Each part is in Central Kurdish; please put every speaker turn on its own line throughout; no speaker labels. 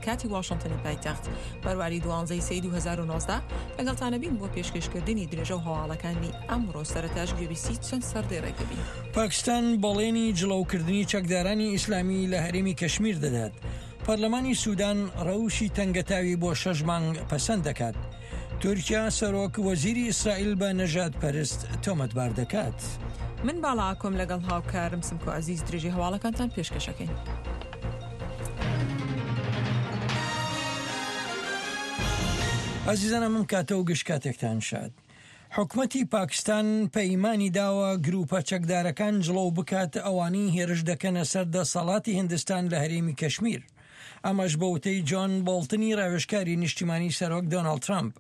کاتی واشنتنی پایتەخت، بەرواری دوانزەی سەی 2019، لەگەڵتانە بین بۆ پێشکەشکردنی درێژە و هەواڵەکانی ئەمڕۆ، سەرەتاش گوێبیستی چەند سەردێڕێک دەبین.
پاکستان بەڵێنی جڵەوکردنی چەکدارانی ئیسلامی لە هەرێمی کەشمیر دەدات. پەرلەمانی سودان ڕەوشی تەنگەتاوی بۆ شەش مانگ پەسەند دەکات. تورکیا سەرۆک وەزیری ئیسرائیل بە نەژادپەرست تۆمەتبار دەکات.
من باڵا ئاکۆم لەگەڵ هاوکارم سمکۆ عەزیز درێژەی هەواڵەکانتان پێشکەشەکەین.
ئازیزانم ئەم کاتە و گشت کاتێکتان شاد. حکومەتی پاکستان پەیمانی داوە گروپە چەکدارەکان جڵەو بکات ئەوانەی هێرش دەکەنە سەر دەسەڵاتی هندستان لە هەرێمی کەشمیر. ئەمەش بە وتەی جۆن بۆڵتنی راوێژکاری نیشتیمانی سەرۆک دۆناڵد ترەمپ.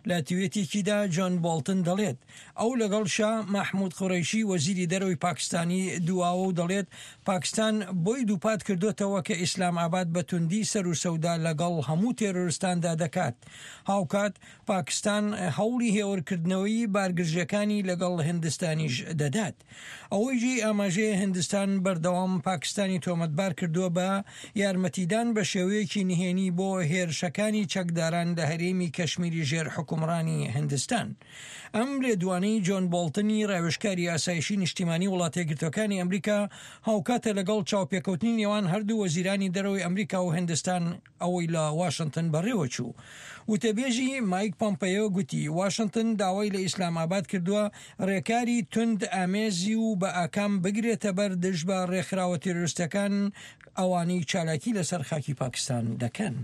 لە تویتێکیدا جۆن بۆڵتن دەڵێت، ئەو لەگەڵ شا مەحمود قوڕەیشی وەزیری دەرەوەی پاکستانی دواوە و دەڵێت پاکستان بۆی دووپات کردۆتەوە کە ئیسلام ئاباد بە توندی سەروسەودا لەگەڵ هەموو تێرۆرستاندا دەکات. هاوکات پاکستان هەوڵی هێورکردنەوەی بارگرژیەکانی لەگەڵ هندستانیش دەدات. ئەوەی جێی ئاماژەیە هندستان بەردەوام پاکستانی تۆمەتبار کردووە بە یارمەتیدان بە شێوەیەکی نهێنی بۆ هێرشەکانی چەکداران لە هەرێمی کەشمیری ژێر حوکمڕانی هندستان. ئەم لێدوانەی جۆن بۆڵتنی راوێژکاری ئاسایشی نیشتیمانی وڵاتەیەکگرتووەکانی ئەمریکا هاوکاتە لەگەڵ چاوپێکەوتنی نێوان هەردوو وەزیرانی دەرەوەی ئەمریکا و هندستان ئەوەی لە واشنتن بەڕێوەچوو. وتەبێژی مایک پۆمپەیۆ گوتی، واشنتن داوای لە ئیسلام ئاباد کردووە ڕێکاری توند ئامێزی و بە ئاکام بگرێتەبەر دژ بە ڕێکخراوە تیرۆریستەکان ئەوانەی چالاکی لەسەر خاکی پاکستان دەکەن.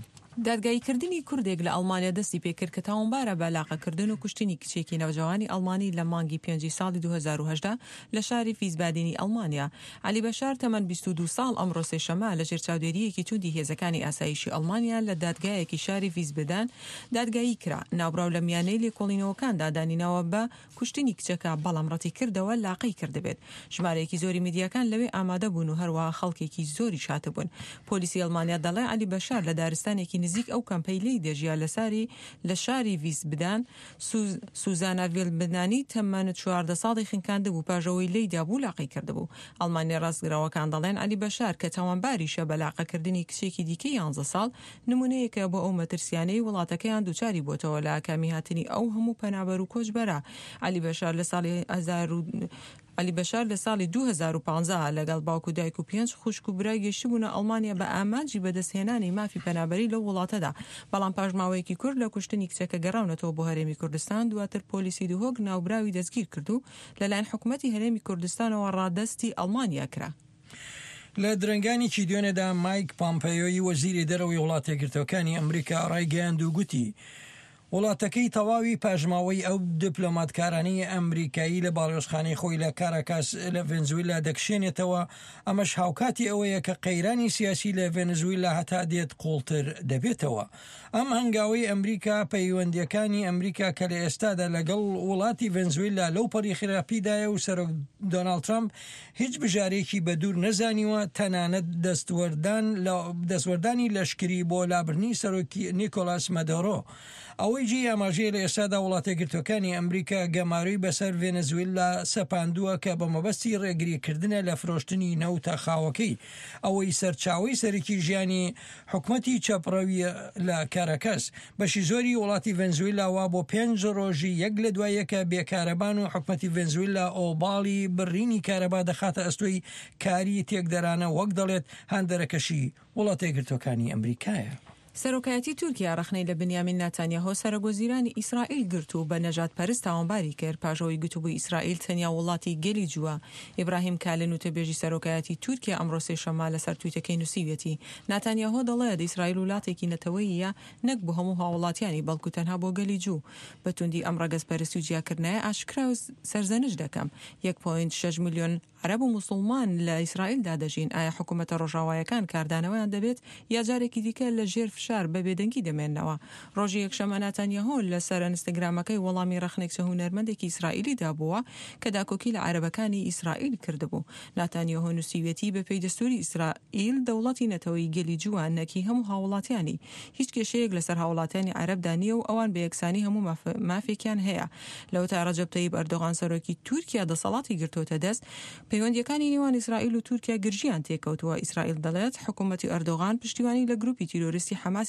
دادگاییکردنی کوردێک لە ئەڵمانیا دەستی پێکرد کە تاوانبارە بە لاقەکردن و کوشتنی کچێکی نەوجەوانی ئەڵمانی لە مانگی پێنجی ساڵی 2018 لە شاری ڤیزبادینی ئەڵمانیا. عەلی بەشار تەمەن 22 ساڵ ئەمڕۆ سێشەممە لەژێر چاودێرییەکی توندی هێزەکانی ئاسایشی ئەڵمانیا لە دادگایەکی شاری ڤیزبدان دادگایی کرا. ناوبراو لە میانەی لێکۆڵینەوەکاندا دانیناوە بە کوشتنی کچەکە، بەڵام ڕەتیکردەوە لاقەی کردبێت. ژمارەیەکی زۆری میدیاکان لەوێ ئامادە بوون و هەروەها خەڵکێکی زۆریش هاتبوون. پۆلیسی ئەڵمانیا دەڵێ عەلی بەشار لە دارستانێکی نزیک ئەو کەمپەی لێی دەژیا لە ساری لە شاری ڤیسبدان سوزانا ڤیلبنانی تەمەن 14 ساڵی خنکاندبوو پاش ئەوەی لێی دابوو لاقەی کردبوو. ئەڵمانیە ڕاستگراوەکان دەڵێن عەلی بەشار کە تاوانباریشە بە لاقەکردنی کچێکی دیکەی یانزە ساڵ، نمونەیەکە بۆ ئەو مەترسیانەی وڵاتەکەیان دووچاری بۆتەوە لە ئاکامی هاتنی ئەو هەموو پەنابەر و کۆچبەرە. عەلی بەشار لە ساڵی عەلی بەشار لە ساڵی 2015 لەگەڵ باوک و دایک و پێنج خوشک و برای گەیشتبوونە ئەڵمانیا بە ئامانجی بەدەستهێنانی مافی پەنابەری لەو وڵاتەدا، بەڵام پاش ماوەیەکی کورت لە کوشتنی کچەکە گەڕاونەتەوە بۆ هەرێمی کوردستان، دواتر پۆلیسی دهۆک ناوبراوی دەستگیرکرد و لەلایەن حکومەتی هەرێمی کوردستانەوە ڕادەستی ئەڵمانیا کرا.
لە درەنگانێکی دوێنێدا مایک پامپەیۆی وەزیری دەرەوەی وڵاتەیەکگرتووەکانی ئەمریکا ڕایگەیاند و گوتی وڵاتەکەی تەواوی پاشماوەی ئەو دیپلۆماتکارانەی ئەمریکایی لە باڵیۆزخانەی خۆی لە کاراکاس لە ڤێنزویلا دەکشێنێتەوە، ئەمەش هاوکاتی ئەوەیە کە قەیرانی سیاسی لە ڤێنزویلا هەتا دێت قوڵتر دەبێتەوە. ئەم هەنگاوەی ئەمریکا پەیوەندییەکانی ئەمریکا کە لە ئێستادا لەگەڵ وڵاتی ڤەنزویلا لەو پەڕی خراپیدایە و سەرۆک دۆناڵد ترەمپ هیچ بژارێکی بە دوور نەزانیوە تەنانەت دەستوەردان لە دەستوەردانی لەشکری بۆ لابردنی سەرۆک نیکۆلاس مەدۆرۆ. ئەوەی جێی ئاماژەیە لە ئێستادا وڵاتەیەکگرتووەکانی ئەمریکا گەمارۆی بەسەر ڤێنزویلا سەپاندووە کە بە مەبەستی ڕێگریکردنە لە فرۆشتنی نەوتە خاوەکەی ئەوەی سەرچاوەی سەرەکی ژیانی حکومەتی چەپڕەویە لە کاراکاس. بەشی زۆری وڵاتی ڤەنزویلا وا بۆ پێنج ڕۆژی یەک لە دوای یەکە بێ کارەبان و حکومەتی ڤەنزویلا ئۆباڵی بڕینی کارەبا دەخاتە ئەستۆی کاری تێکدەرانە وەک دەڵێت هاندەرەکەشی وڵاتەیەکگرتوەکانی ئەمریکایە.
سەرۆکایەتی تورکیا ڕەخنەی لە بنیامین ناتانیاهۆ سەرۆکوەزیرانی ئیسرائیل گرت و بە نەژادپەرست تاوانباری کرد پاش ئەوەی گوتبووی ئیسرائیل تەنیا وڵاتی گەلی جووە. ئیبراهیم کالن وتەبێژی سەرۆکایەتی تورکیا ئەمڕۆ سێشەممە لەسەر تویتەکەی نووسیویەتی ناتانیاهۆ دەڵێت ئیسرائیل ولاتێکی نەتەوەییە نەک بۆ هەموو هاوڵاتیانی بەڵکو تەنها بۆ گەلی جوو. بە توندی ئەم ڕەگەزپەرستی و جیاکردنەیە ئاشکرا و سەرزەنشت دەکەم. یەک پۆینت شەش ملیۆن عەرەب و موسوڵمان لە ئیسرائیلدا دەژین، ئایا حکومەتە ڕۆژاوایەکان کاردانەوەیان دەبێت یا جارێکی دیکە لە ژێر فشار بە بێدەنگی دەمێننەوە؟ ڕۆژی یەکشەممە ناتانیاهۆ لە سەر ئەنستگرامەکەی وەڵامی ڕەخنەی کچە هونەرمەندێکی ئیسرائیلی دابووە کە داکۆکی لە عەرەبەکانی ئیسرائیل کردبوو. ناتانیاهۆ نووسیویەتی بەپێی دەستووری ئیسرائیل دەوڵەتی نەتەوەیی گەلی جووە نەک هی هەموو هاووڵاتیانی. هیچ کێشەیەک لەسەر هاووڵاتیانی عەرەبدا نییە و ئەوان بە یەکسانی هەموو مافێکیان هەیە. لەوەتای ڕەجەب تەیب ئەردۆغان سەرۆکی تورکیا دەسەڵاتی گرتۆتە دەست، پەیوەندییەکانی نێوان ئیسرائیل و تورکیا گرژییان تێکەوتووە. ئیسرائیل دەڵێت، حکومەتی ئەردۆغان پشتیوانی لە گروپی تیرۆریستی حەماس.